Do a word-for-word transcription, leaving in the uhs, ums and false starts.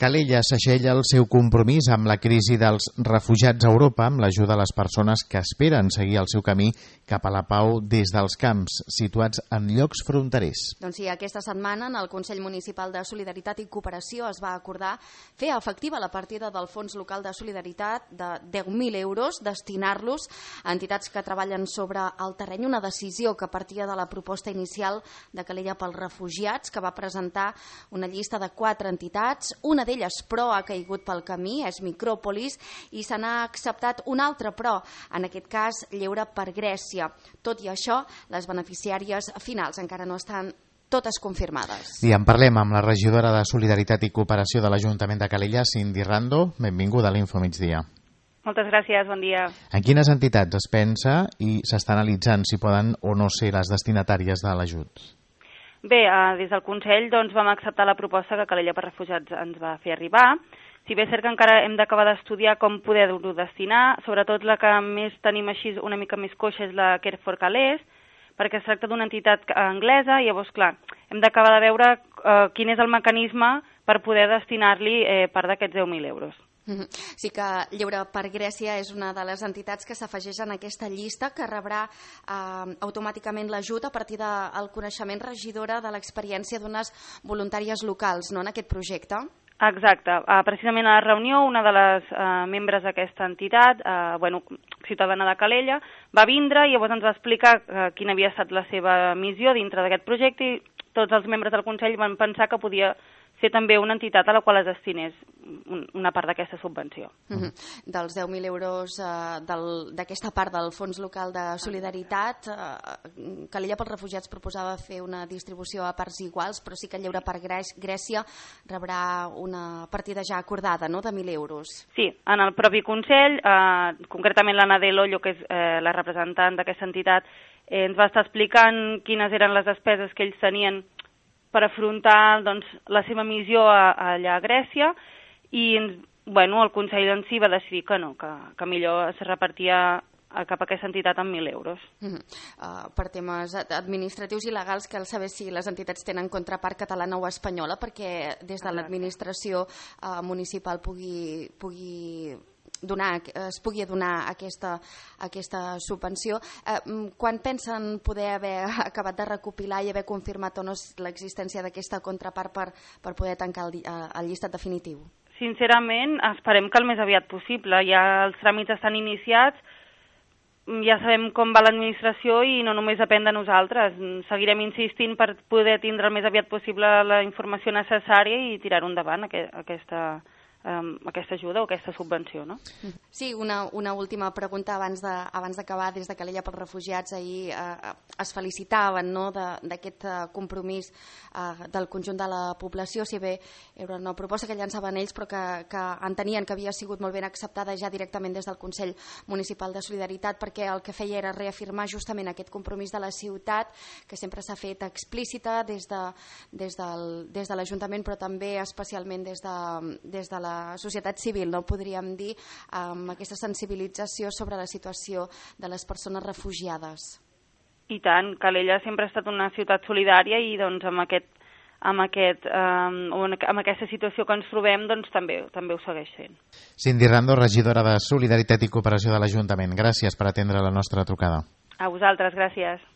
Calella s'aixella el seu compromís amb la crisi dels refugiats a Europa amb l'ajuda de les persones que esperen seguir el seu camí cap a la pau des dels camps situats en llocs fronterers. Doncs sí, aquesta setmana en el Consell Municipal de Solidaritat i Cooperació es va acordar fer efectiva la partida del Fons Local de Solidaritat de deu mil euros, destinar-los a entitats que treballen sobre el terreny, una decisió que partia de la proposta inicial de Calella pels refugiats, que va presentar una llista de quatre entitats, una d'elles però ha caigut pel camí, és Micròpolis, i se n'ha acceptat una altra però, en aquest cas Lleure per Grècia. Tot i això, les beneficiàries finals encara no estan totes confirmades. I en parlem amb la regidora de Solidaritat i Cooperació de l'Ajuntament de Calella, Cindy Rando. Benvinguda a l'Info Migdia. Moltes gràcies, bon dia. En quines entitats es pensa i s'està analitzant si poden o no ser les destinatàries de l'ajut? Bé, eh, des del Consell doncs, vam acceptar la proposta que Calella per Refugiats ens va fer arribar. Si bé és cert que encara hem d'acabar d'estudiar com poder-ho destinar, sobretot la que més tenim així una mica més coixa és la Care for Calais, perquè es tracta d'una entitat anglesa i llavors, clar, hem d'acabar de veure eh, quin és el mecanisme per poder destinar-li eh, part d'aquests deu mil euros. Sí que Lleure per Grècia és una de les entitats que s'afegeix en aquesta llista, que rebrà eh, automàticament l'ajut a partir del coneixement, regidora, de l'experiència d'unes voluntàries locals, no, en aquest projecte. Exacte. Uh, precisament a la reunió, una de les uh, membres d'aquesta entitat, uh, bueno, ciutadana de Calella, va vindre i llavors ens va explicar uh, quina havia estat la seva missió dintre d'aquest projecte i tots els membres del Consell van pensar que podia ser també una entitat a la qual es destinés una part d'aquesta subvenció. Uh-huh. Dels deu mil euros uh, d'aquesta part del Fons Local de Solidaritat, uh, Calella pels Refugiats proposava fer una distribució a parts iguals, però sí que Lleure per Grècia rebrà una partida ja acordada, no?, de mil euros. Sí, en el propi Consell, eh, concretament l'Anna de Lollo, que és eh, la representant d'aquesta entitat, eh, ens va estar explicant quines eren les despeses que ells tenien per afrontar doncs, la seva missió a, a allà a Grècia i bueno, el Consell en si va decidir que no, que, que millor es repartia cap a aquesta entitat amb mil euros. Uh -huh. uh, per temes administratius i legals, cal saber si les entitats tenen contrapart catalana o espanyola perquè des de l'administració uh, municipal pugui... pugui donar, es pugui donar aquesta, aquesta subvenció. Eh, quan pensen poder haver acabat de recopilar i haver confirmat o no l'existència d'aquesta contrapart per, per poder tancar el, el llistat definitiu? Sincerament, esperem que el més aviat possible. Ja els tràmits estan iniciats, ja sabem com va l'administració i no només depèn de nosaltres. Seguirem insistint per poder tindre el més aviat possible la informació necessària i tirar-ho endavant, aquesta Um, aquesta ajuda o aquesta subvenció, no? Sí, una, una última pregunta abans de, abans d'acabar. Des de Calella pels Refugiats ahir eh, es felicitaven, no?, d'aquest eh, compromís eh, del conjunt de la població, si bé era una proposta que llançaven ells però que, que entenien que havia sigut molt ben acceptada ja directament des del Consell Municipal de Solidaritat, perquè el que feia era reafirmar justament aquest compromís de la ciutat que sempre s'ha fet explícita des de, des del, des de l'Ajuntament, però també especialment des de, des de la la societat civil, no podríem dir, amb aquesta sensibilització sobre la situació de les persones refugiades. I tant, Calella sempre ha estat una ciutat solidària i doncs amb aquest amb, aquest, um, amb aquesta situació que ens trobem doncs també, també ho segueix sent. Cindy Rando, regidora de Solidaritat i Cooperació de l'Ajuntament. Gràcies per atendre la nostra trucada. A vosaltres, gràcies.